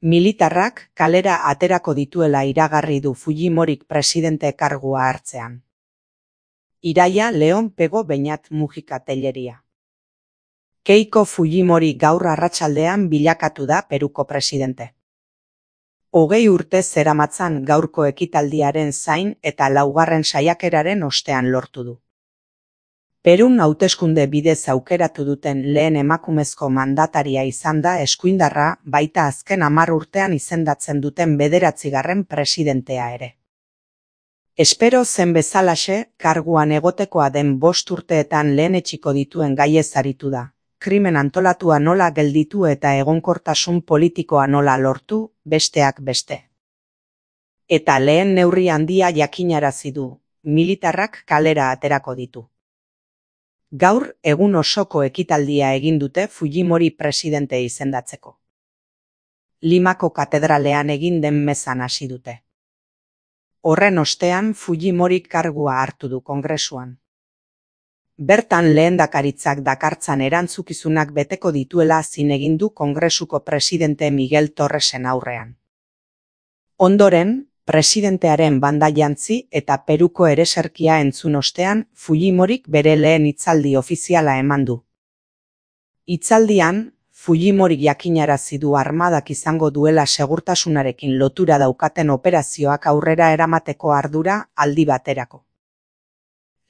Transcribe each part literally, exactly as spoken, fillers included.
Militarrak kalera aterako dituela iragarri du Fujimorik presidente kargua hartzean. Iraia Leon Pego Beñat Mujika Telleria. Keiko Fujimori gaur arratsaldean bilakatu da Peruko presidente. Hogei urte zeramatzan gaurko ekitaldiaren zain eta laugarren saiakeraren ostean lortu du. Perun hauteskunde bidez aukeratu duten lehen emakumezko mandataria izan da eskuindarra, baita azken hamar urtean izendatzen duten bederatzigarren presidentea ere. Espero zen bezalaxe, karguan egotekoa den bost urteetan lehenetsiko dituen gaiez aritu da. Krimen antolatua nola gelditu eta egonkortasun politikoa nola lortu, besteak beste. Eta lehen neurri handia jakinarazi du, militarrak kalera aterako ditu. Gaur egun osoko ekitaldia egin dute Fujimori presidente izendatzeko. Limako katedralean egin den mezan hasi dute. Horren ostean Fujimori kargua hartu du Kongresuan. Bertan lehendakaritzak dakartzan erantzukizunak beteko dituela zin egin du Kongresuko presidente Miguel Torresen aurrean. Ondoren, presidentearen banda jantzi eta Peruko ereserkia entzun ostean, Fujimorik bere lehen hitzaldi ofiziala eman du. Hitzaldian, Fujimorik jakinarazi du armadak izango duela segurtasunarekin lotura daukaten operazioak aurrera eramateko ardura aldi baterako.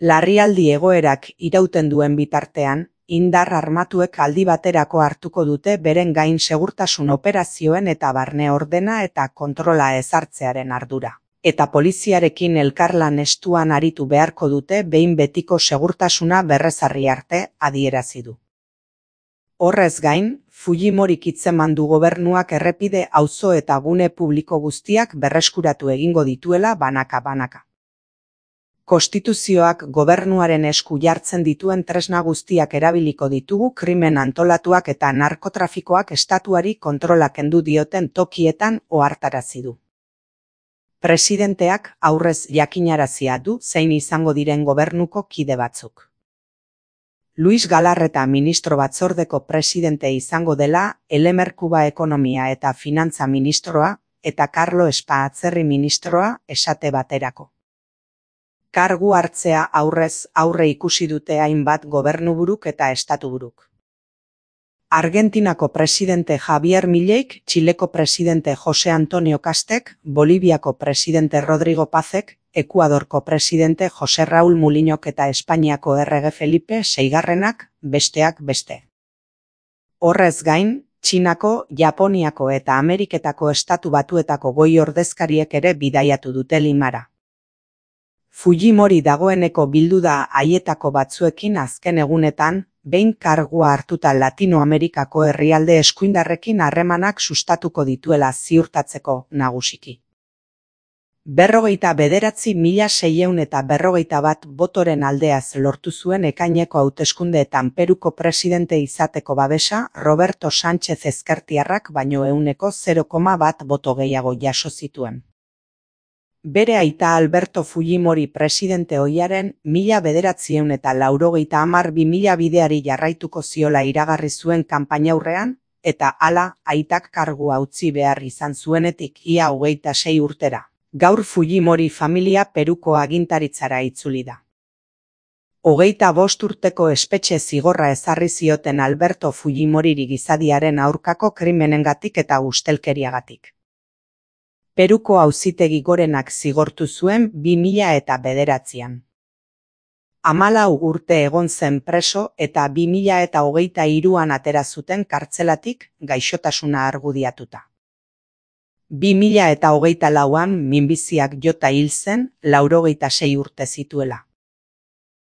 Larrialdi egoerak irauten duen bitartean, indar armatuek aldi baterako hartuko dute beren gain segurtasun operazioen eta barne ordena eta kontrola ezartzearen ardura. Eta poliziarekin elkarlan estuan aritu beharko dute behin betiko segurtasuna berrezarri arte adierazi du. Horrez gain, Fujimorik hitzeman du gobernuak errepide, auzo eta gune publiko guztiak berreskuratu egingo dituela banaka-banaka. Konstituzioak gobernuaren esku jartzen dituen tresna guztiak erabiliko ditugu krimen antolatuak eta narkotrafikoak estatuari kontrola kendu dioten tokietan ohartarazi du. Presidenteak aurrez jakinarazia du zein izango diren gobernuko kide batzuk. Luis Galarreta ministro batzordeko presidente izango dela, Elemer Kuba ekonomia eta finantza ministroa eta Carlo Espa atzerri ministroa esate baterako. Kargu hartzea aurrez aurre ikusi dute hainbat gobernuburuk eta estatuburuk. Argentinako presidente Javier Mileik, Txileko presidente Jose Antonio Kastek, Boliviako presidente Rodrigo Pazek, Ekuadorko presidente Jose Raul Mulinok eta Espainiako errege Felipe seigarrenak, besteak beste. Horrez gain, Txinako, Japoniako eta Ameriketako estatu batuetako goi ordezkariek ere bidaiatu dute Limara. Fujimori dagoeneko bildu da haietako batzuekin azken egunetan, behin kargua hartuta Latinoamerikako herrialde eskuindarrekin harremanak sustatuko dituela ziurtatzeko nagusiki. Berrogeita bederatzi mila seiehun eta berrogeita bat botoren aldeaz lortu zuen ekaineko hauteskundeetan Peruko presidente izateko babesa Roberto Sánchez ezkertiarrak baino ehuneko zero koma bat boto gehiago jaso zituen. Bere aita Alberto Fujimori presidente ohiaren mila bederatziehun eta laurogeita hamar bi mila bideari jarraituko ziola iragarri zuen kanpainaurrean, eta hala aitak kargua utzi behar izan zuenetik ia hogeita sei urtera. Gaur Fujimori familia Peruko agintaritzara itzuli da. Hogeita bost urteko espetxe zigorra ezarri zioten Alberto Fujimoriri gizadiaren aurkako krimenengatik eta ustelkeriagatik. Peruko auzitegi gorenak zigortu zuen bi mila eta bederatzian. Hamalau urte egon zen preso eta bi mila eta hogeita hiruan atera zuten kartzelatik gaixotasuna argudiatuta. Bi mila eta hogeita lauan minbiziak jota hil zen, laurogeita sei urte zituela.